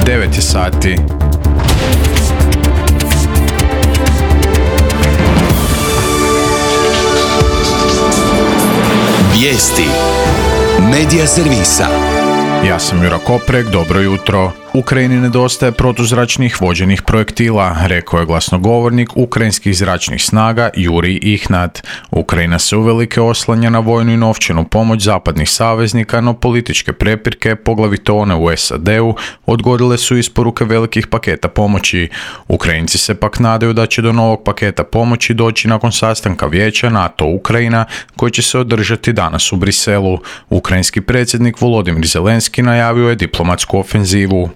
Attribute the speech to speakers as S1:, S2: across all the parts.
S1: 9 je sati.
S2: Vijesti Medija servisa.
S1: Ja sam Jura Koprek, dobro jutro. Ukrajini nedostaje protuzračnih vođenih projektila, rekao je glasnogovornik ukrajinskih zračnih snaga Jurij Ihnat. Ukrajina se uvelike oslanja na vojnu i novčanu pomoć zapadnih saveznika, no političke prepirke, poglavito one u SAD-u, odgodile su isporuke velikih paketa pomoći. Ukrajinci se pak nadaju da će do novog paketa pomoći doći nakon sastanka vijeća NATO-Ukrajina, koji će se održati danas u Briselu. Ukrajinski predsjednik Volodimir Zelenski najavio je diplomatsku ofenzivu.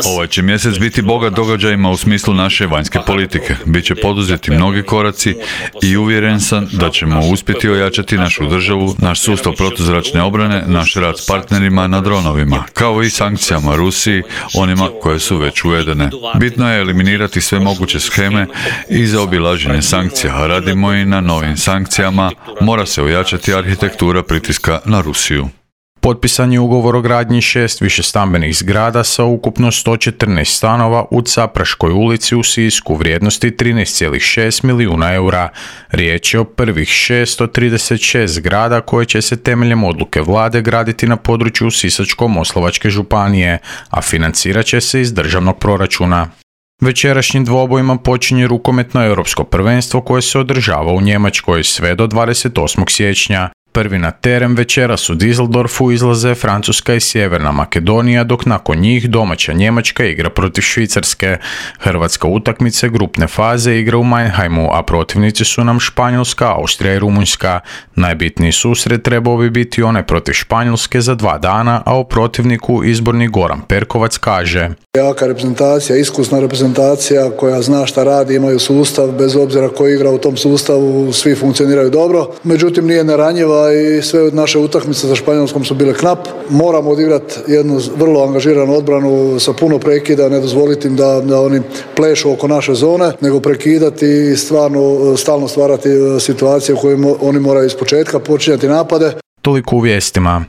S3: Ovaj će mjesec biti bogat događajima u smislu naše vanjske politike. Biće poduzeti mnogi koraci i uvjeren sam da ćemo uspjeti ojačati našu državu, naš sustav protuzračne obrane, naš rad s partnerima na dronovima, kao i sankcijama Rusiji, onima koje su već uvedene. Bitno je eliminirati sve moguće sheme i zaobilaženje sankcija. Radimo i na novim sankcijama, mora se ojačati arhitektura pritiska na Rusiju.
S1: Potpisan je ugovor o gradnji 6 višestambenih zgrada sa ukupno 114 stanova u Capraškoj ulici u Sisku vrijednosti 13,6 milijuna eura. Riječ je o prvih 636 zgrada koje će se temeljem odluke vlade graditi na području Sisačko-moslavačke županije, a financirat će se iz državnog proračuna. Večerašnjim dvobojima počinje rukometno europsko prvenstvo koje se održava u Njemačkoj sve do 28. siječnja. Prvi na teren večeras u Düsseldorfu izlaze Francuska i Sjeverna Makedonija, dok nakon njih domaća Njemačka igra protiv Švicarske. Hrvatska utakmice grupne faze igra u Mannheimu, a protivnici su nam Španjolska, Austrija i Rumunjska. Najbitniji susret trebao bi biti onaj protiv Španjolske za 2 dana, a o protivniku izborni Goran Perkovac kaže:
S4: Jaka reprezentacija, iskusna reprezentacija koja zna šta radi, imaju sustav, bez obzira ko igra u tom sustavu, svi funkcioniraju dobro. Međutim, nije neranjiva i sve od naše utakmice sa Španjolskom su bile knap. Moramo odigrati jednu vrlo angažiranu odbranu sa puno prekida, ne dozvoliti im da oni plešu oko naše zone, nego prekidati i stalno stvarati situacije u kojima oni moraju ispočetka počinjati napade.
S1: Toliko u vijestima.